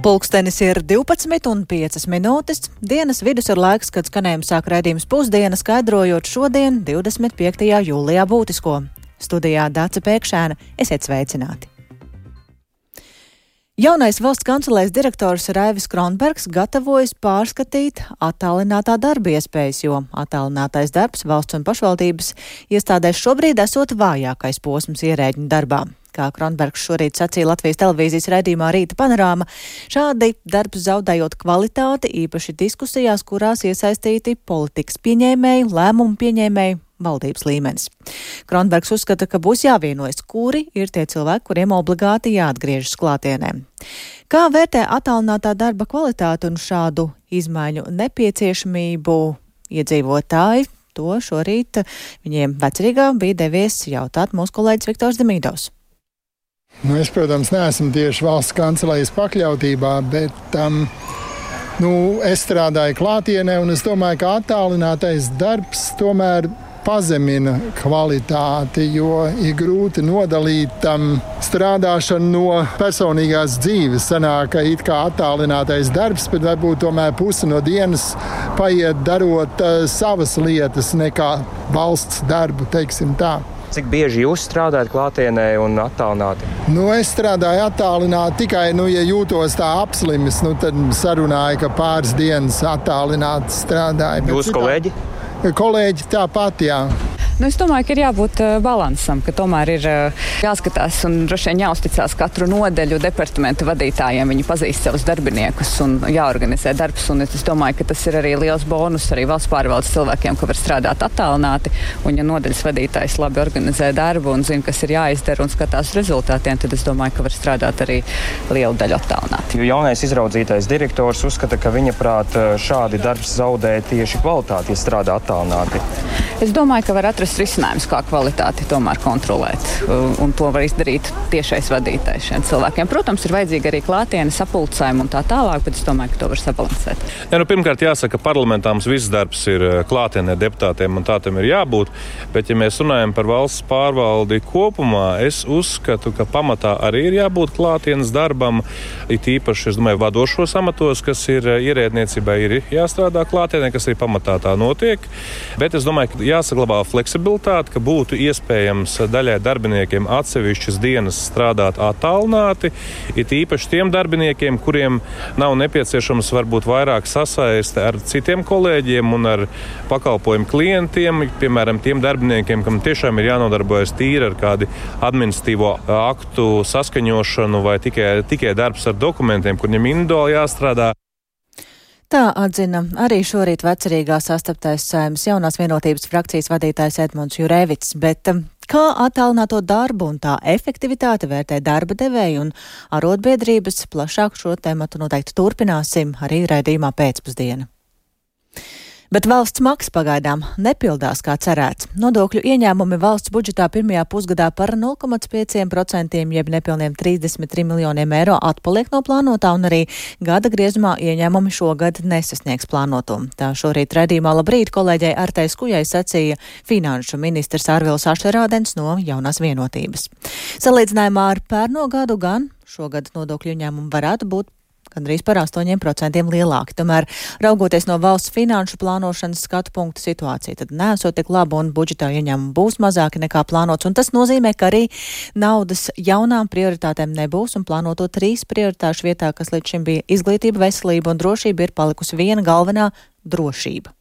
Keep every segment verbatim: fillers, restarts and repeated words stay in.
Pulkstenis ir divpadsmit un piecas minūtes. Dienas vidus ir laiks, kad skanējums sāk raidījums Pusdiena, skaidrojot šodien, divdesmit piektajā jūlijā būtisko. Studijā Dace Pēkšēna, esiet sveicināti. Jaunais valsts kancelēs direktors Raivis Kronbergs gatavojas pārskatīt attālinātā darba iespējas, jo attālinātais darbs valsts un pašvaldības iestādēs šobrīd esot vājākais posms ierēģņu darbā. Kā Kronbergs šorīt sacīja Latvijas televīzijas raidījumā Rīta panorāma, šādi darbs zaudējot kvalitāti, īpaši diskusijās, kurās iesaistīti politikas pieņēmēji, lēmumu pieņēmēji, valdības līmenis. Kronbergs uzskata, ka būs jāvienojas, kuri ir tie cilvēki, kuriem obligāti jāatgriežas klātienē. Kā vērtē attālinātā darba kvalitāti un šādu izmaiņu nepieciešamību iedzīvotāji? To šorīt viņiem Vecrīgā bija devies jautāt mūsu kolēģis Viktors Demīdovs. Nu, es, protams, neesmu tieši valsts kancelējas pakļautībā, bet um, nu, es strādāju klātienē, un es domāju, ka attālinātais darbs tomēr pazemina kvalitāti, jo ir grūti nodalīt um, strādāšanu no personīgās dzīves. Sanāk, ka it kā attālinātais darbs, bet varbūt tomēr pusi no dienas paiet darot uh, savas lietas nekā valsts darbu, teiksim tā. Cik bieži jūs strādājat klātienē un attālināti? Nu, es strādāju attālināti tikai, nu, ja jūtos tā apslimis, nu, tad sarunāju, ka pāris dienas attālināti strādāju. Jūsu kolēģi? Kolēģi tāpat, jā. Nu, es domāju, ka ir jābūt uh, balansam, ka tomēr ir uh, jāskatās un droši vien jāuzticās katru nodeļu departamentu vadītājiem. Viņi pazīst savus darbiniekus un jāorganizē darbs. Un es domāju, ka tas ir arī liels bonus arī valsts pārvaldes cilvēkiem, ka var strādāt attālināti. Un ja nodeļas vadītājs labi organizē darbu un zina, kas ir jāizdara un skatās rezultātiem, tad es domāju, ka var strādāt arī lielu daļu attālināti. Jo jaunais izraudzītais direktors uzskata, ka viņa prāt šādi darbs zaudē tieši kvalitāti, ja strādā attālināti. Es domāju, ka var atrast risinājums, kā kvalitāti tomēr kontrolēt, un to var izdarīt tiešais vadītājs šiem cilvēkiem. Protams, ir vajadzīga arī klātiene, sapulcējumi un tā tālāk, bet es domāju, ka to var sabalansēt. Ja, nu, pirmkārt, jāsaka, parlamentā mums viss darbs ir klātienē deputātiem, un tā tam ir jābūt, bet ja mēs runājam par valsts pārvaldi kopumā, es uzskatu, ka pamatā arī ir jābūt klātienes darbam, it īpaši, es domāju, vadošos amatos, kas ir ierēdniecībai, ir jāstrādā klātienē, kas arī pamatā tā notiek, bet es domāju, ka jāsaglabā fleksibilitāte, ka būtu iespējams daļai darbiniekiem atsevišķas dienas strādāt attālināti, it īpaši tiem darbiniekiem, kuriem nav nepieciešams varbūt vairāk sasaiste ar citiem kolēģiem un ar pakalpojumu klientiem, piemēram, tiem darbiniekiem, kam tiešām ir jānodarbojas tīri ar kādu administratīvo aktu saskaņošanu vai tikai, tikai darbs ar dokumentiem, kur viņam individuāli jāstrādā. Tā atzina arī šorīt Vecrīgā sastaptais Saeimas jaunās vienotības frakcijas vadītājs Edmunds Jurēvits, bet kā attālināto darbu un tā efektivitāti vērtē darba devēji un arotbiedrības, plašāk šo tematu noteikti turpināsim arī raidījumā pēcpusdiena. Bet valsts maksa pagaidām nepildās kā cerēts. Nodokļu ieņēmumi valsts budžetā pirmajā pusgadā par nulle komats pieci procenti jeb nepilniem trīsdesmit trīs miljoniem eiro atpaliek no plānotā, un arī gada griezumā ieņēmumi šogad nesasniegs plānoto. Tā šorīt raidījumā Labrīt kolēģei Artai Skujai sacīja finanšu ministrs Arvils Ašerādens no Jaunās vienotības. Salīdzinājumā ar pērno gadu gan šogad nodokļu ieņēmumi varētu būt gandrīz par astoņiem procentiem lielāki. Tomēr, raugoties no valsts finanšu plānošanas skatu punktu situācija, tad nesot tik laba un budžetā ieņēmumi būs mazāki nekā plānots. Un tas nozīmē, ka arī naudas jaunām prioritātēm nebūs, un plānoto trīs prioritāšu vietā, kas līdz šim bija izglītība, veselība un drošība, ir palikusi viena galvenā - drošība.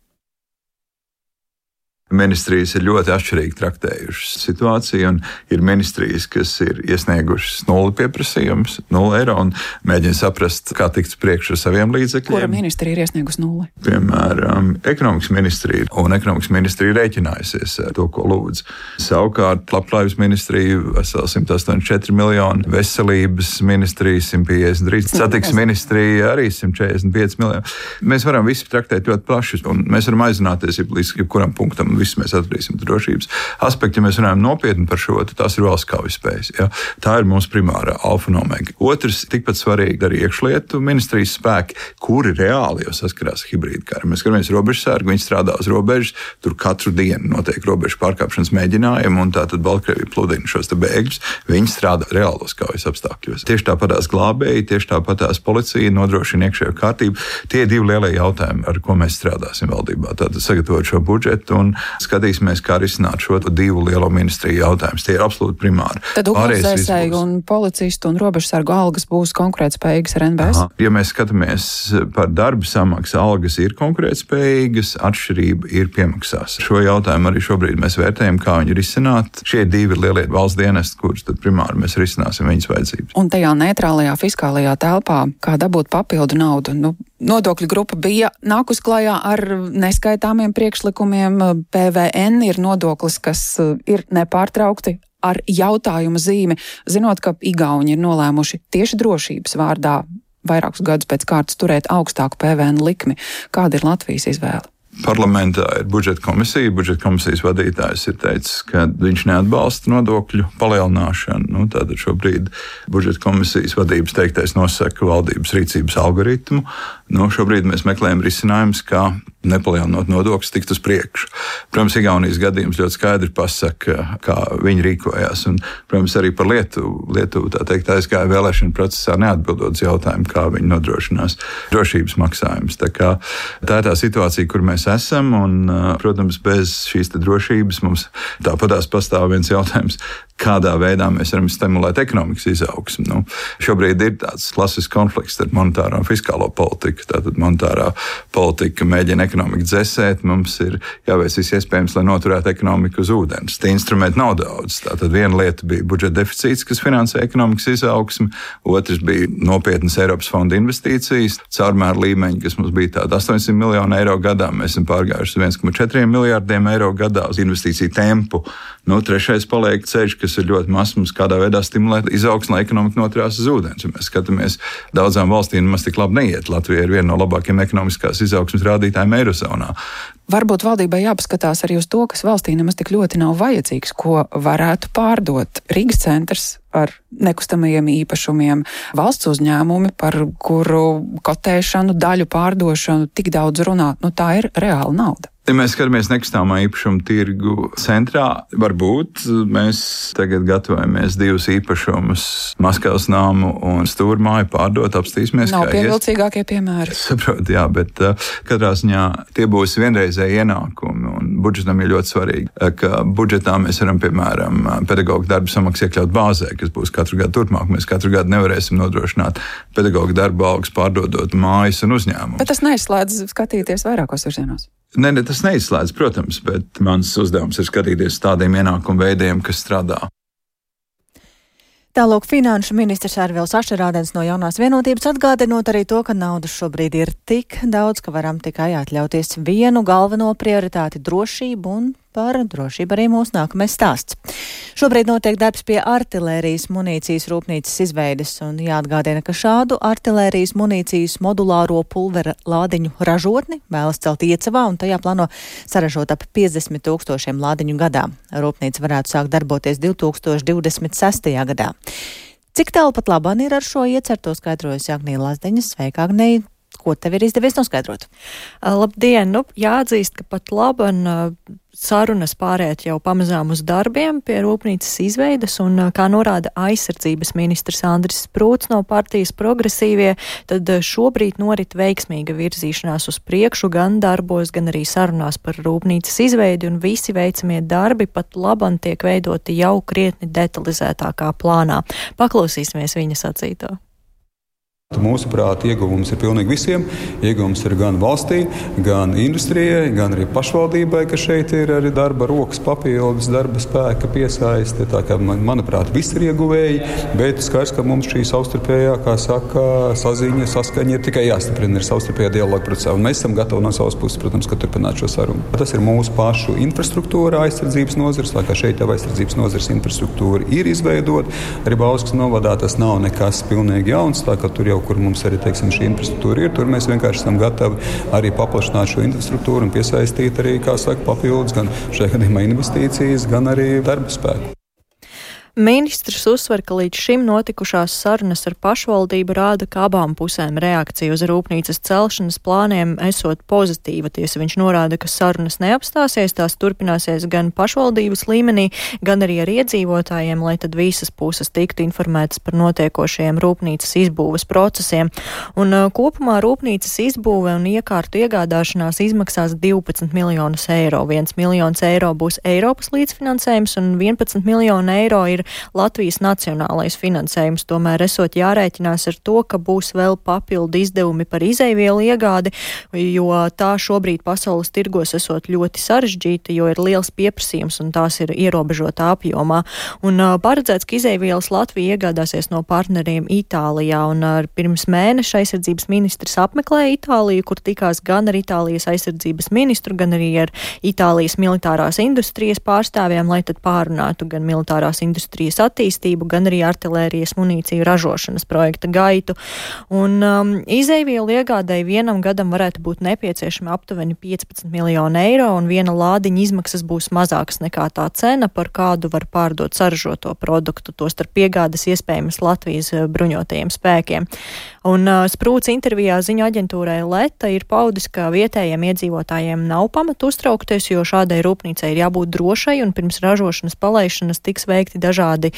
Ministrijas ir ļoti atšķirīgi traktējušas situāciju, un ir ministrijas, kas ir iesniegušas nulli pieprasījumus, nulli eiro, un mēģina saprast, kā tikt priekš ar saviem līdzekļiem. Kura ministrija ir iesniegusi nulli? Piemēram, ekonomikas ministrija, un ekonomikas ministrija rēķinājusies ar to, ko lūdz. Savukārt, labklājības ministrija vesel simt astoņdesmit četri miljoni, veselības ministrija simt piecdesmit trīs, satiksmes ministrija arī simt četrdesmit pieci miljoni. Mēs varam visi traktēt ļoti plaši, un mēs varam aizrunāties līdz jebkuram punktam un viss mēs atradīsim drošības aspektu. Ja mēs runājam nopietni par šo, tad tās ir valsts kaujaspējas. Ja? Tā ir mūsu primārā alfa un omega. Otrs, tikpat svarīgi arī iekšlietu ministrijas spēki, kuri reāli jau saskarās hibrīdu karu. Mēs skatāmies robežsargu, viņi strādā uz robežas, tur katru dienu notiek robežu pārkāpšanas mēģinājumi, un tātad Baltkrievija pludina šos te bēgļus. Viņi strādā reālos kaujas apstākļos. Tieši tāpatās glābēji, tieši tāpatās policija nodrošina iekšējo kārtību. Tie ir divi lielie jautājumi, ar ko mēs strādāsim valdībā. Tātad sagatavot šo budžetu un skatīsimies, kā risināt šo divu lielo ministriju jautājumus. Tie ir absolūti primāri. Tad ugunsdzēsēju un policistu un robežsargu algas būs konkurētspējīgas ar N B S? Aha. Ja mēs skatāmies par darba samaksu, algas ir konkurētspējīgas, atšķirība ir piemaksās. Šo jautājumu arī šobrīd mēs vērtējam, kā viņu risināt. Šie divi lielie valsts dienesti, kurus tad primāri mēs risināsim viņas vajadzības. Un tajā neitrālajā fiskālajā telpā, kā dabūt papildu naudu? Nu, nodokļu grupa bija nākus klajā ar neskaitāmiem priekšlikumiem. P V N ir nodoklis, kas ir nepārtraukti ar jautājuma zīmi, zinot, ka Igauni ir nolēmuši tieši drošības vārdā vairākus gadus pēc kārtas turēt augstāku P V N likmi. Kāda ir Latvijas izvēle? Parlamentā ir budžeta komisija. Budžeta komisijas vadītājs ir teicis, ka viņš neatbalsta nodokļu palielināšanu. Nu, tātad šobrīd budžeta komisijas vadības teiktais nosaka valdības rīcības algoritmu. Nu, šobrīd mēs meklējam risinājumus, kā nepalielinot nodokļus, tikt uz priekšu. Protams, Igaunijas gadījums ļoti skaidri pasaka, kā viņi rīkojās. Un, protams, arī par Lietuvu. Lietuvu tā teikt aizgāja vēlēšanu procesā neatbildot uz jautājumu, kā viņi nodrošinās drošības maksājumus. Tā, kā, tā ir tā situācija, kur mēs esam, un, protams, bez šīs drošības mums tāpatās pastāv viens jautājums, kādā veidā mēs varam stimulēt ekonomikas izaugsmu. Nu, šobrīd ir tāds klasisks konflikts starp monetāro un fiskālo politiku. Tātad monetārā politika mēģina ekonomiku dzesēt, mums ir jāveic viss iespējams, lai noturētu ekonomiku uz ūdens. Tie instrumenti nav daudz. Tātad viena lieta bija budžeta deficīts, kas finansē ekonomikas izaugsmu, otrs bija nopietnas Eiropas fonda investīcijas, caurmēra līmeņi, kas mums bija tāda astoņsimt miljonu eiro gadā, mēs esam pārgājuši uz viens komats četri miljārdiem eiro gadā uz investīciju tempu. Nu, trešais paliek ceļš, kas ir ļoti mazs, mums kādā veidā stimulēt izaugsmu, lai ekonomika noturās uz ūdens. Ja mēs skatāmies, daudzām valstīm nemaz tik labi neiet. Latvija ir viena no labākajiem ekonomiskās izaugsmes rādītājiem Eirozonā. Varbūt valdībai jāpaskatās arī uz to, kas valstī nemaz tik ļoti nav vajadzīgs, ko varētu pārdot. Rīgas centrs ar nekustamajiem īpašumiem, valsts uzņēmumi, par kuru kotēšanu, daļu pārdošanu tik daudz runā. Nu, tā ir reāla nauda. Ja mēs skatāmies nekustamā īpašuma tirgu centrā, varbūt mēs tagad gatavojamies divus īpašumus, Maskavas nāmu un Stūrmāju pārdot, apstīsimies. Nav pievilcīgākie piemēri. Es saprotu, jā, bet uh, katrā ziņā tie būs vienreizēji ienākumi, un budžetam ir ļoti svarīgi, ka budžetā mēs varam, piemēram, pedagoģu darba samaksu iekļaut bāzē, kas būs katru gadu turpmāk. Mēs katru gadu nevarēsim nodrošināt pedagoģu darba algas pārdodot mājas un uzņēmumus. Bet tas neizslēdz skatīties vairākos virzienos. Nē, ne, tas neizslēdz, protams, bet mans uzdevums ir skatīties tādiem ienākumu veidiem, kas strādā. Tālāk finanšu ministrs Arvils Ašerādens no Jaunās vienotības atgādinot arī to, ka naudas šobrīd ir tik daudz, ka varam tikai atļauties vienu galveno prioritāti - drošību, un par drošību arī mūsu nākamais stāsts. Šobrīd notiek darbs pie artilērijas munīcijas rūpnīcas izveides, un jāatgādina, ka šādu artilērijas munīcijas modulāro pulvera lādiņu ražotni vēlas celt Iecavā, un tajā plāno saražot ap piecdesmit tūkstošiem lādiņu gadā. Rūpnīca varētu sākt darboties divi tūkstoši divdesmit sestajā gadā. Cik tālu pat labāk ir ar šo iecerto, skaidrojas Agnija Lazdeņa. Sveika, Agnija! Ko tev ir izdevies noskaidrot? Labdien! Nu, jāatzīst, ka pat labāk sarunas pāriet jau pamazām uz darbiem pie rūpnīcas izveides, un, kā norāda aizsardzības ministrs Andris Sprūts no partijas Progresīvie, tad šobrīd norit veiksmīga virzīšanās uz priekšu gan darbos, gan arī sarunās par rūpnīcas izveidi, un visi veicamie darbi pat labāk tiek veidoti jau krietni detalizētākā plānā. Paklausīsimies viņa sacīto. Mūsuprāt, ieguvums ir pilnīgi visiem. Ieguvums ir gan valstī, gan industrijai, gan arī pašvaldībai, ka šeit ir arī darba rokas papildus, darba spēka piesaiste. Tā kā, manuprāt, visi ir ieguvēji, bet skaidrs, ka mums šī savstarpējā, kā saka, saziņa, saskaņa ir tikai jāstiprina, ir savstarpējā dialoga procesā. Un mēs esam gatavi no savas puses, protams, ka turpināt šo sarunu. Tas ir mūsu pašu infrastruktūra, aizsardzības nozars, tā kā šeit jau aizsardzības nozars infrastruktūra ir izveidota. Arī Bauskas novadā tas nav nekas pilnīgi jauns, tā kā tur jau jau, kur mums arī, teiksim, šī infrastruktūra ir, tur mēs vienkārši esam gatavi arī paplašināt šo infrastruktūru un piesaistīt arī, kā saka, papildus gan šajā gadījumā investīcijas, gan arī darba spēku. Ministrs uzsver, ka līdz šim notikušās sarunas ar pašvaldību rāda, ka abām pusēm reakcija uz rūpnīcas celšanas plāniem esot pozitīva. Tiesa viņš norāda, ka sarunas neapstāsies, tās turpināsies gan pašvaldības līmenī, gan arī ar iedzīvotājiem, lai tad visas puses tiktu informētas par notiekošajiem rūpnīcas izbūves procesiem. Un uh, kopumā rūpnīcas izbūve un iekārtu iegādāšanās izmaksās divpadsmit miljonus eiro. viens miljons eiro būs Eiropas līdzfinansējums un vienpadsmit miljonu eiro ir Latvijas nacionālais finansējums. Tomēr esot jārēķinās ar to, ka būs vēl papildu izdevumi par izeivielu iegādi, jo tā šobrīd pasaules tirgos esot ļoti sarežģīta, jo ir liels pieprasījums un tās ir ierobežotā apjomā. Un uh, paredzēts, ka izeivielas Latvija iegādāsies no partneriem Itālijā, un uh, pirms mēneša aizsardzības ministrs apmeklēja Itāliju, kur tikās gan ar Itālijas aizsardzības ministru, gan arī ar Itālijas militārās industrijas pārstāvjiem, lai tad pārunātu gan militārās industrijas attīstību, gan arī artilērijas munīciju ražošanas projekta gaitu. Un um, izeivielu iegādēji vienam gadam varētu būt nepieciešami aptuveni piecpadsmit miljoni eiro, un viena lādiņa izmaksas būs mazākas nekā tā cena, par kādu var pārdot saražoto produktu, tostarp piegādes iespējamas Latvijas bruņotajiem spēkiem. Un uh, Sprūts intervijā ziņu aģentūrai Leta ir paudis, ka vietējiem iedzīvotājiem nav pamata uztraukties, jo šādai rūpnīcai ir jābūt drošai, un pirms ražošanas palaišanas tiks veikti dažādi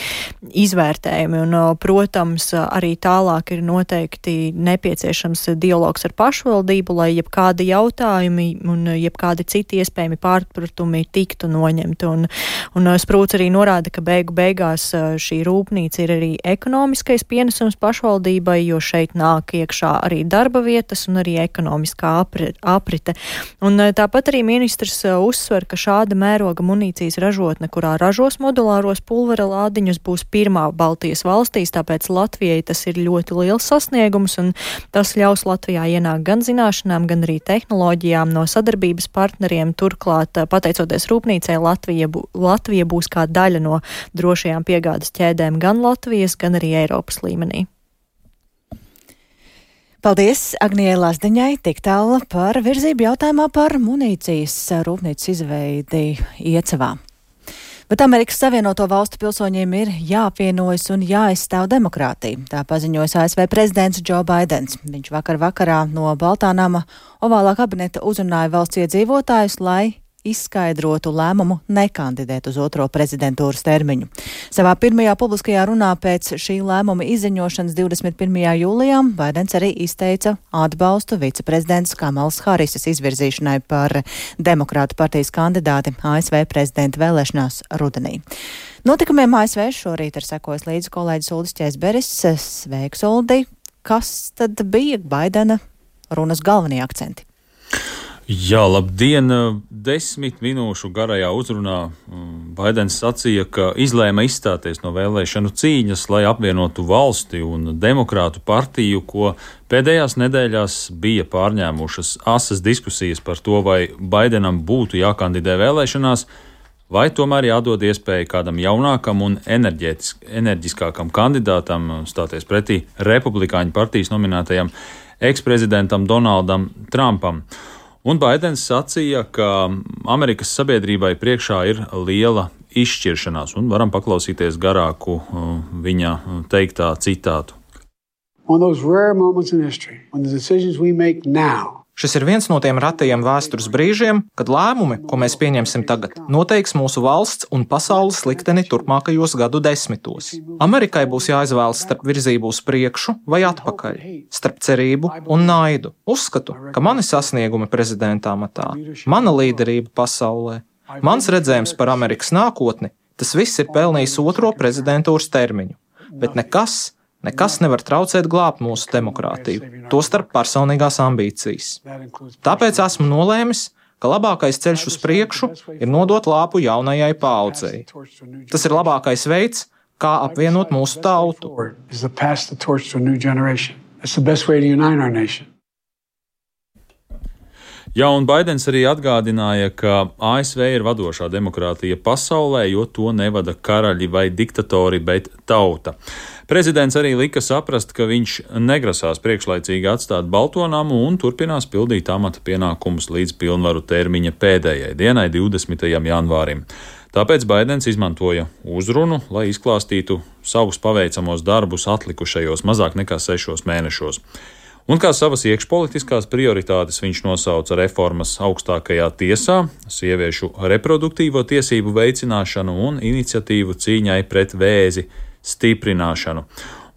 izvērtējumi. Un, protams, arī tālāk ir noteikti nepieciešams dialogs ar pašvaldību, lai jebkādi jautājumi un jebkādi citi iespējami pārpratumi tiktu noņemti. Un, un Sprūts arī norāda, ka beigu beigās šī rūpnīca ir arī ekonomiskais pienesums pašvaldībai, jo šeit nāk iekšā arī darba vietas un arī ekonomiskā aprite. Un tāpat arī ministrs uzsver, ka šāda mēroga munīcijas ražotne, kurā ražos modulāros pulvera lādiņus, būs pirmā Baltijas valstīs, tāpēc Latvijai tas ir ļoti liels sasniegums, un tas ļaus Latvijā ienākt gan zināšanām, gan arī tehnoloģijām no sadarbības partneriem. Turklāt, pateicoties rūpnīcai, Latvija, bū, Latvija būs kā daļa no drošajām piegādes ķēdēm gan Latvijas, gan arī Eiropas līmenī. Paldies Agnijai Lazdiņai tik tālu par virzību jautājumā par munīcijas rūpnīcas izveidi Iecavā. Bet Amerikas Savienoto Valstu pilsoņiem ir jāapvienojas un jāaizstāv demokrātija. Tā paziņojas A S V prezidents Džo Baidens. Viņš vakar vakarā no Baltā nama ovālā kabineta uzrunāja valsts iedzīvotājus, lai izskaidrotu lēmumu nekandidēt uz otro prezidentūras termiņu. Savā pirmajā publiskajā runā pēc šī lēmuma izziņošanas divdesmit pirmajā jūlijā Baidens arī izteica atbalstu viceprezidents Kamalas Harisas izvirzīšanai par Demokrātu partijas kandidāti A S V prezidenta vēlēšanās rudenī. Notikumiem A S V šorīt ir sekojis līdzi kolēģis Uldis Ķēzberis. Sveiks, Uldi! Kas tad bija Baidena runas galvenie akcenti? Jā, labdien! Desmit minūšu garajā uzrunā Baidens sacīja, ka izlēma izstāties no vēlēšanu cīņas, lai apvienotu valsti un Demokrātu partiju, ko pēdējās nedēļās bija pārņēmušas asas diskusijas par to, vai Baidenam būtu jākandidē vēlēšanās, vai tomēr jādod iespēja kādam jaunākam un enerģiskākam kandidātam stāties pretī Republikāņu partijas nominētajam eksprezidentam Donaldam Trumpam. Un Baidens sacīja, ka Amerikas sabiedrībai priekšā ir liela izšķiršanās, un varam paklausīties garāku uh, viņa teiktā citātu. Šis ir viens no tiem retajiem vēstures brīžiem, kad lēmumi, ko mēs pieņemsim tagad, noteiks mūsu valsts un pasaules likteni turpmākajos gadu desmitos. Amerikai būs jāizvēlas starp virzību uz priekšu vai atpakaļ, starp cerību un naidu. Uzskatu, ka mani sasniegumi prezidenta amatā, mana līderība pasaulē, mans redzējums par Amerikas nākotni, tas viss ir pelnījis otro prezidentūras termiņu, bet nekas, Nekas nevar traucēt glābt mūsu demokrātiju, tostarp personīgās ambīcijas. Tāpēc esmu nolēmis, ka labākais ceļš uz priekšu ir nodot lāpu jaunajai paaudzei. Tas ir labākais veids, kā apvienot mūsu tautu. Jā, un Baidens arī atgādināja, ka A S V ir vadošā demokrātija pasaulē, jo to nevada karaļi vai diktatori, bet tauta. Prezidents arī lika saprast, ka viņš negrasās priekšlaicīgi atstāt Balto namu un turpinās pildīt amata pienākumus līdz pilnvaru termiņa pēdējai dienai, divdesmitajam janvārim. Tāpēc Baidens izmantoja uzrunu, lai izklāstītu savus paveicamos darbus atlikušajos mazāk nekā sešos mēnešos. Un kā savas iekšpolitiskās prioritātes viņš nosauca reformas augstākajā tiesā, sieviešu reproduktīvo tiesību veicināšanu un iniciatīvu cīņai pret vēzi stiprināšanu.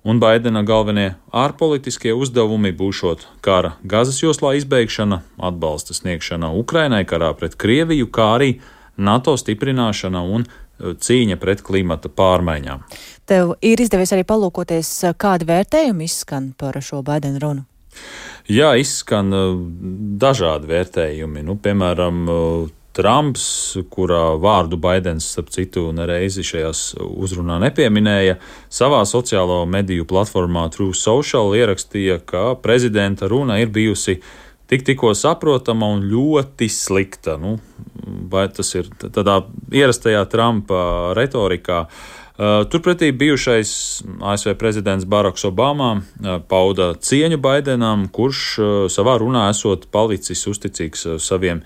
Un Baidena galvenie ārpolitiskie uzdevumi būšot kara Gazas joslā izbeigšana, atbalsta sniegšana Ukrainai karā pret Krieviju, kā arī NATO stiprināšana un cīņa pret klimata pārmaiņām. Tev ir izdevies arī palūkoties, kādi vērtējumi izskan par šo Baidena runu? Jā, izskan dažādi vērtējumi. Nu, piemēram, Trumps, kurā vārdu Baidens, starp citu, nereizi šajās uzrunā nepieminēja, savā sociālo mediju platformā Truth Social ierakstīja, ka prezidenta runa ir bijusi tik tikko saprotama un ļoti slikta. Nu, vai tas ir tādā ierastajā Trumpa retorikā? Turpretī bijušais A S V prezidents Baraks Obama pauda cieņu Baidenam, kurš savā runā esot palicis uzticīgs saviem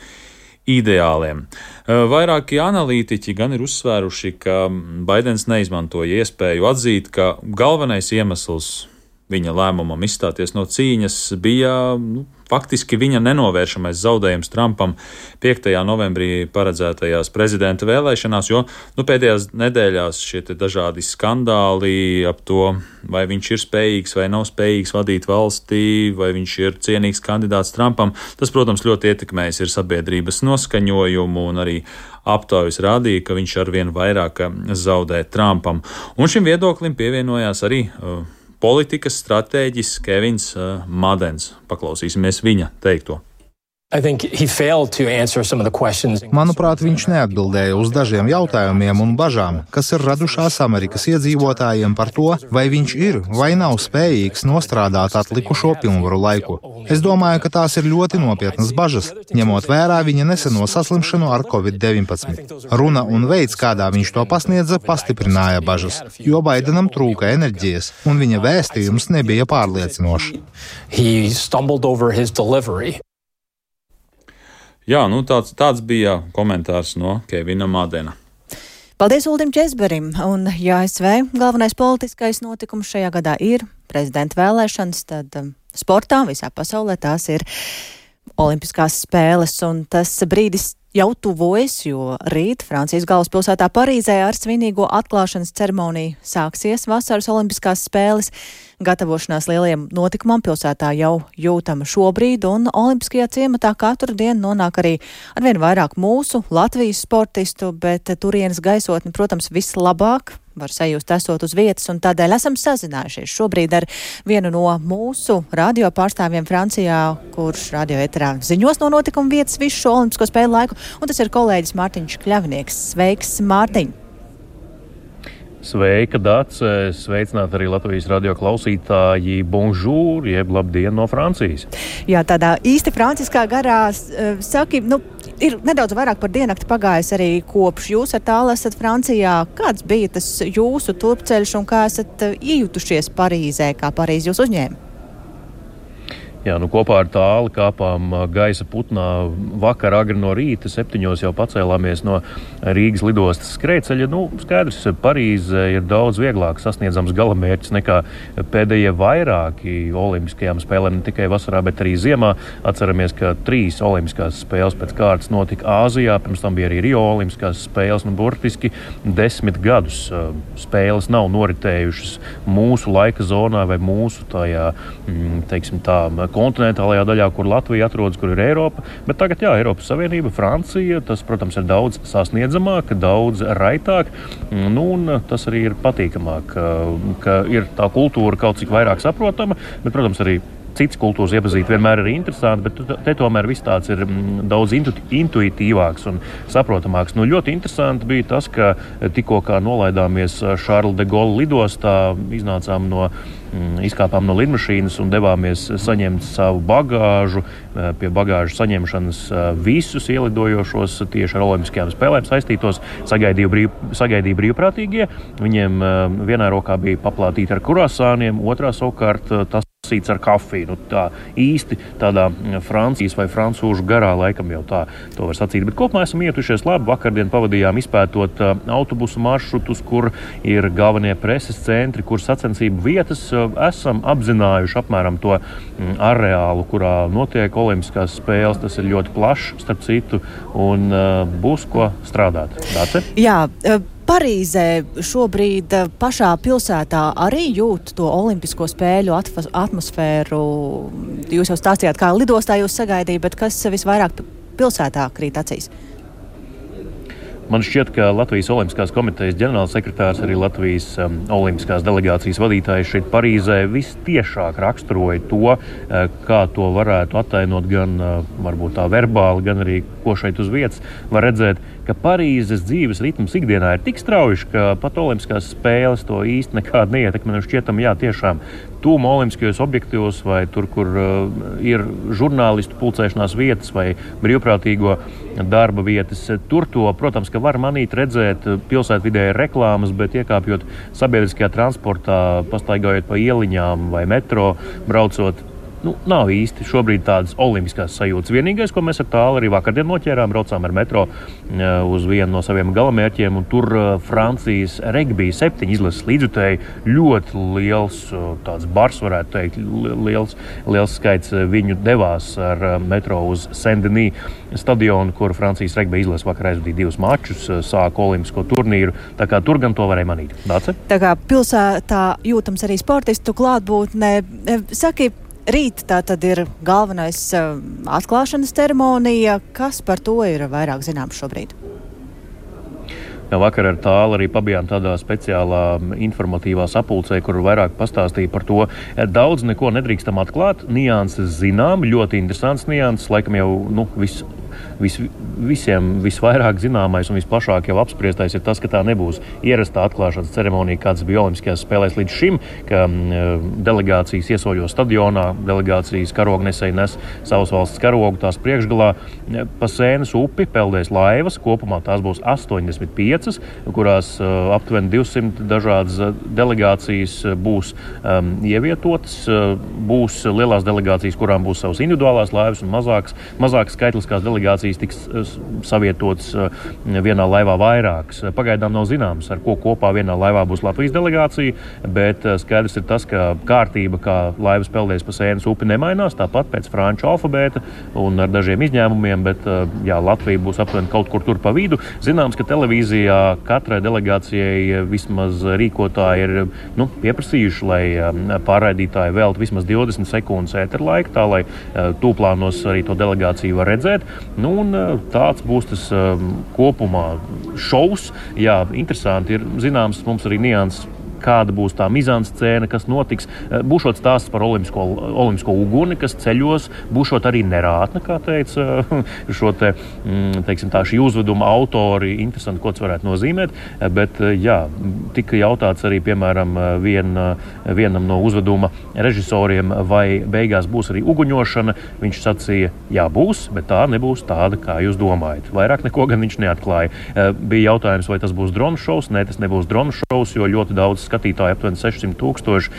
ideāliem. Vairāki analītiķi gan ir uzsvēruši, ka Baidens neizmantoja iespēju atzīt, ka galvenais iemesls viņa lēmumam izstāties no cīņas bija nu, faktiski viņa nenovēršamais zaudējums Trumpam piektajā novembrī paredzētajās prezidenta vēlēšanās, jo nu, pēdējās nedēļās šie te dažādi skandāli ap to, vai viņš ir spējīgs vai nav spējīgs vadīt valstī, vai viņš ir cienīgs kandidāts Trumpam, tas, protams, ļoti ietekmējis ir sabiedrības noskaņojumu un arī aptaujas rādīja, ka viņš arvien vairāk zaudē Trumpam. Un šim viedoklim pievienojās arī uh, politikas stratēģis Kevins uh, Madens. Paklausīsimies viņa teikto. Manuprāt, viņš neatbildēja uz dažiem jautājumiem un bažām, kas ir radušās Amerikas iedzīvotājiem par to, vai viņš ir vai nav spējīgs nostrādāt atlikušo pilnvaru laiku. Es domāju, ka tās ir ļoti nopietnas bažas, ņemot vērā viņa neseno saslimšanu ar covid deviņpadsmit. Runa un veids, kādā viņš to pasniedza, pastiprināja bažas, jo Baidenam trūka enerģijas, un viņa vēstījums nebija pārliecinošs. Jā, nu tāds, tāds bija komentārs no Kevina Madena. Paldies Uldim Česberim, un ja A S V galvenais politiskais notikums šajā gadā ir prezidenta vēlēšanas, tad um, sportā visā pasaulē tās ir Olimpiskās spēles, un tas brīdis jau tuvojas, jo rīt Francijas galvaspilsētā Parīzē ar svinīgo atklāšanas ceremoniju sāksies vasaras Olimpiskās spēles. Gatavošanās lielajam notikumam pilsētā jau jūtama šobrīd, un Olimpiskajā ciematā katru dienu nonāk arī arvien vairāk mūsu Latvijas sportistu, bet turienes gaisotni, protams, vislabāk var sajust esot uz vietas, un tādēļ esam sazinājušies šobrīd ar vienu no mūsu radio pārstāvjiem Francijā, kurš radio eterā ziņos no notikuma vietas visu šo Olimpisko spēļu laiku, un tas ir kolēģis Mārtiņš Kļavnieks. Sveiks, Mārtiņ! Sveika, Dāc! Sveicināti arī Latvijas radio klausītāji. Bonjour, jeb labdien no Francijas. Jā, tādā īsti franciskā garā, saki, nu, ir nedaudz vairāk par diennakti pagājis arī kopš jūs ar tālu esat Francijā. Kāds bija tas jūsu turpceļš un kā esat iejutušies Parīzē, kā Parīzi jūs uzņēma? Jā, nu kopā ar tāli kāpām gaisa putnā vakar agri no rīta, septiņos jau pacēlāmies no Rīgas lidostas skrejceļa. Nu, skaidrs, Parīze ir daudz vieglāk sasniedzams galamērķis nekā pēdējie vairāki olimpiskajām spēlēm, ne tikai vasarā, bet arī ziemā. Atceramies, ka trīs olimpiskās spēles pēc kārtas notika Āzijā, pirms tam bija arī Rio olimpiskās spēles, nu burtiski desmit gadus spēles nav noritējušas mūsu laika zonā vai mūsu tajā, teiksim tā, kontinentālajā daļā, kur Latvija atrodas, kur ir Eiropa, bet tagad, jā, Eiropas Savienība, Francija, tas, protams, ir daudz sasniedzamāk, daudz raitāk, nu, un tas arī ir patīkamāk, ka ir tā kultūra kaut cik vairāk saprotama, bet, protams, arī citas kultūras iepazīt vienmēr ir interesanti, bet te tomēr viss tāds ir daudz intu, intuitīvāks un saprotamāks. Nu, ļoti interesanti bija tas, ka tikko kā nolaidāmies Charles de Gaulle lidostā, iznācām no, izkāpām no lidmašīnas un devāmies saņemt savu bagāžu. Pie bagāžu saņemšanas visus ielidojošos tieši ar olimpiskajām spēlēm saistītos sagaidīja, brīv, sagaidīja brīvprātīgie. Viņiem vienā rokā bija paplātīti ar kurasāniem, otrā savukārt tas ar kafiju. Nu, tā īsti tādā Francijas vai francūžu garā laikam jau tā to var sacīt. Bet kopumā esam ietušies labi. Vakardien pavadījām izpētot uh, autobusu maršrutus, kur ir galvenie preses centri, kur sacensību vietas. Uh, esam apzinājuši apmēram to mm, areālu, kurā notiek olimpiskās spēles. Tas ir ļoti plašs, starp citu, un uh, būs ko strādāt. Dāce? Jā, uh... Parīzē šobrīd pašā pilsētā arī jūt to olimpisko spēļu atmosfēru. Jūs jau stāstījāt, kā lidostā jūs sagaidījāt, bet kas visvairāk pilsētā krīt acīs? Man šķiet, ka Latvijas Olimpiskās komitejas ģenerālsekretārs, arī Latvijas um, olimpiskās delegācijas vadītājs šeit Parīzē vistiešāk raksturoja to, uh, kā to varētu attainot gan uh, varbūt tā verbāli, gan arī ko šeit uz vietas var redzēt, ka Parīzes dzīves ritms ikdienā ir tik strauji, ka pat olimpiskās spēles to īsti nekādi neietekmē. Šķietam, jā, tiešām tūma olimpiskajos objektos vai tur, kur uh, ir žurnālistu pulcēšanās vietas vai brīvprātīgo darba vietas. Tur to, protams, ka var manīt redzēt pilsētvidē reklāmas, bet iekāpjot sabiedriskajā transportā, pastaigājot pa ieliņām vai metro, braucot, nu, nav īsti šobrīd tādas olimpiskās sajūtas. Vienīgais, ko mēs ar tālu arī vakardien noķērām, braucām ar metro uz vienu no saviem galamērķiem, un tur Francijas regbija septiņi izlases līdzjutēji, ļoti liels tāds bars, varētu teikt, liels, liels skaits viņu devās ar metro uz Saint-Denis stadionu, kur Francijas regbija izlases vakar aizvadīja divus mačus, sāka olimpisko turnīru, tā kā tur gan to varēja manīt. Dāce? Tā kā pilsētā jūtams arī sportistu klātbūtne. Saki, rīt tā tad ir galvenais uh, atklāšanas ceremonija. Kas par to ir vairāk zināms šobrīd? Jā, vakar ar tālu arī pabijām tādā speciālā informatīvā sapulcē, kur vairāk pastāstīja par to. Daudz neko nedrīkstam atklāt, nianses zinām, ļoti interesants nianses, laikam jau, nu, viss. Vis, visiem visvairāk zināmais un visplašāk jau apspriestais ir tas, ka tā nebūs ierastā atklāšanas ceremonija, kāds bija Olimpiskajās spēlēs līdz šim, ka um, delegācijas iesoļo stadionā, delegācijas karognesēji nes savas valsts karogu tās priekšgalā. Pa Sēnes upi peldēs laivas, kopumā tās būs astoņdesmit piecas, kurās uh, aptuveni divsimt dažādas delegācijas būs um, ievietotas. Uh, būs lielās delegācijas, kurām būs savas individuālās laivas un mazākas, mazākas skaitliskās delegācijas tiks savietotas vienā laivā vairākas. Pagaidām nav zināms, ar ko kopā vienā laivā būs Latvijas delegācija, bet skaidrs ir tas, ka kārtība, kā laivas peldēs pa Sēnes upi, nemainās, tāpat pēc franču alfabēta un ar dažiem izņēmumiem, bet jā, Latvija būs aptuveni kaut kur tur pa vidu. Zināms, ka televīzijā katrai delegācijai vismaz rīkotāji ir nu, pieprasījuši, lai pārraidītāji veltu vismaz divdesmit sekundes ēterlaika, tā lai tūplānos arī to delegāciju var redzēt. Nu, un tāds būs tas um, kopumā šovs. Jā, interesanti ir zināms mums arī nianses, kāda būs tā mizanscēna, kas notiks. Būšot stāsts par olimpisko, olimpisko uguni, kas ceļos, būšot arī nerātne, kā teica šo te, teiksim tā, šī uzveduma autori. Interesanti, ko tas varētu nozīmēt, bet jā, tika jautāts arī, piemēram, vien, vienam no uzveduma režisoriem, vai beigās būs arī uguņošana. Viņš sacīja, jā, būs, bet tā nebūs tāda, kā jūs domājat. Vairāk neko gan viņš neatklāja. Bija jautājums, vai tas būs dronu šovs. Nē, tas nebūs dronu šovs, jo ļoti daudz skatītāji, aptuveni sešsimt tūkstoši,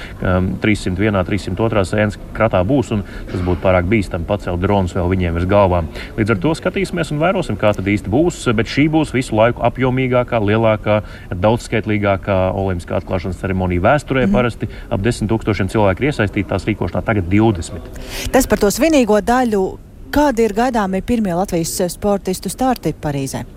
trīssimt vienā, trīssimt otrā Sēnes kratā būs, un tas būtu pārāk bīstami pacelt dronus vēl viņiem virs galvām. Līdz ar to skatīsimies un vērosim, kā tad īsti būs, bet šī būs visu laiku apjomīgākā, lielākā, daudzskaitlīgākā olimpiskā atklāšanas ceremonija vēsturē. Mm-hmm. Parasti ap desmit tūkstošiem cilvēku ir iesaistīti tās rīkošanā, tagad divdesmit. Tas par to svinīgo daļu. Kādi ir gaidāmi pirmie Latvijas sportistu starti Parīzē?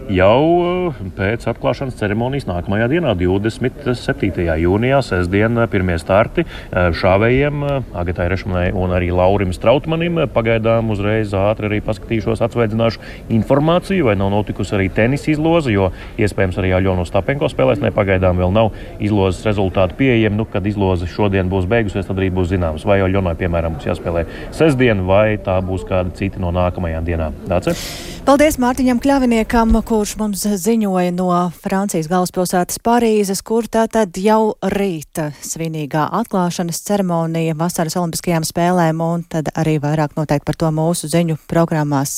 jau pēc atklāšanas ceremonijas nākamajā dienā, divdesmit septītajā jūnijā, sestdien, pirmie starti šāvējiem, Agatai Rešmanai un arī Laurim Strautmanim. Pagaidām uzreiz ātri arī paskatīšos, atsveidzināšu informāciju, vai nav notikusi arī tenisa izloze, jo iespējams arī Aļona Ostapenko spēlēs, ne pagaidām vēl nav izlozes rezultāti pieejami. Nu, kad izloze šodien būs beigusies, tad arī būs zināms, vai Aļonai, piemēram, būs jāspēlē sestdien, vai tā būs kāda cita no nākamajām dienām. Dāce? Paldies Mārtiņam Kļaviniekam, kurš mums ziņoja no Francijas galvaspilsētas Parīzes, kur tātad jau rīta svinīgā atklāšanas ceremonija vasaras olimpiskajām spēlēm, un tad arī vairāk noteikti par to mūsu ziņu programmās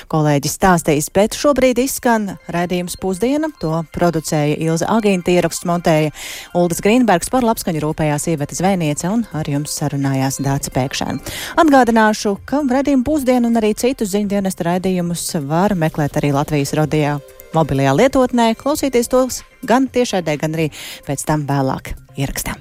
kolēģis stāstīs. Bet šobrīd izskan raidījums Pusdiena, to producēja Ilze Agīnta, ieraksts montēja Uldis Grīnbergs, par labskaņu rūpējās Iveta Zvēniece un ar jums sarunājās Dāca Pēkšēna. Atgādināšu, ka raidījumu Pusdienu un arī citus ziņdienesta raidījumus var meklēt arī Latvijas rodījā mobilajā lietotnē, klausīties tos gan tiešraidē, gan arī pēc tam vēlāk ierakstā.